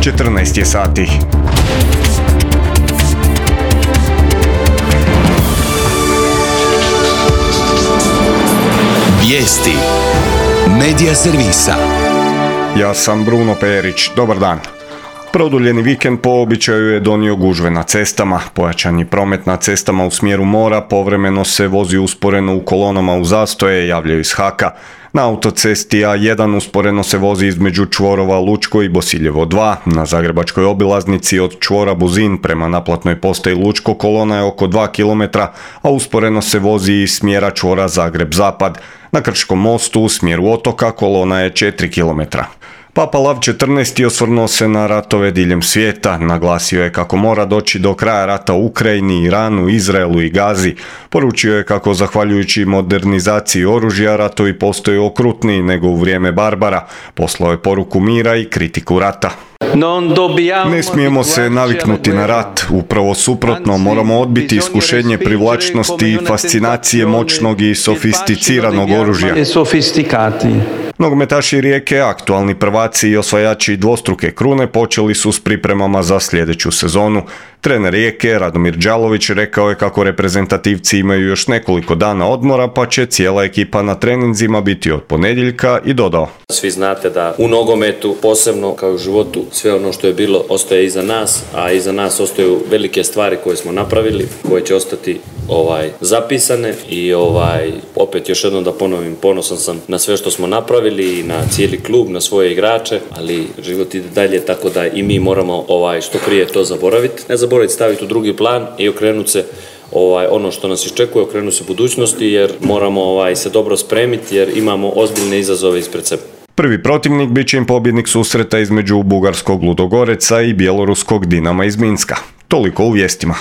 14 je sati. Vijesti Medija servisa. Ja sam Bruno Perić, dobar dan. Produljeni vikend po običaju je donio gužve na cestama. Pojačani promet na cestama u smjeru mora povremeno se vozi usporeno u kolonama u zastoje, javljaju iz HAK-a. Na autocesti A1 usporeno se vozi između čvorova Lučko i Bosiljevo 2. Na zagrebačkoj obilaznici od čvora Buzin prema naplatnoj postaji Lučko kolona je oko 2 km, a usporeno se vozi iz smjera čvora Zagreb-Zapad. Na Krškom mostu u smjeru otoka kolona je 4 km. Papa Lav XIV osvrnuo se na ratove diljem svijeta, naglasio je kako mora doći do kraja rata u Ukrajini, Iranu, Izraelu i Gazi. Poručio je kako zahvaljujući modernizaciji oružja ratovi postaju okrutniji nego u vrijeme Barbara. Poslao je poruku mira i kritiku rata. Ne smijemo se naviknuti na rat, upravo suprotno, moramo odbiti iskušenje privlačnosti i fascinacije moćnog i sofisticiranog oružja. Nogometaši Rijeke, aktualni prvaci i osvajači dvostruke krune, počeli su s pripremama za sljedeću sezonu. Trener Rijeke, Radomir Đalović, rekao je kako reprezentativci imaju još nekoliko dana odmora, pa će cijela ekipa na treninzima biti od ponedjeljka, i dodao: Svi znate da u nogometu, posebno kao i u životu, sve ono što je bilo ostaje iza nas, a iza nas ostaju velike stvari koje smo napravili, koje će ostati zapisane i opet još jednom da ponovim, ponosan sam na sve što smo napravili i na cijeli klub, na svoje igrače, ali život ide dalje, tako da i mi moramo što prije to zaboraviti. Ne zaboraviti, staviti u drugi plan i okrenuti se ono što nas iščekuje, okrenuti se budućnosti, jer moramo se dobro spremiti jer imamo ozbiljne izazove ispred sebe. Prvi protivnik bit će im pobjednik susreta između bugarskog Ludogoreca i bjeloruskog Dinama iz Minska. Toliko u vijestima.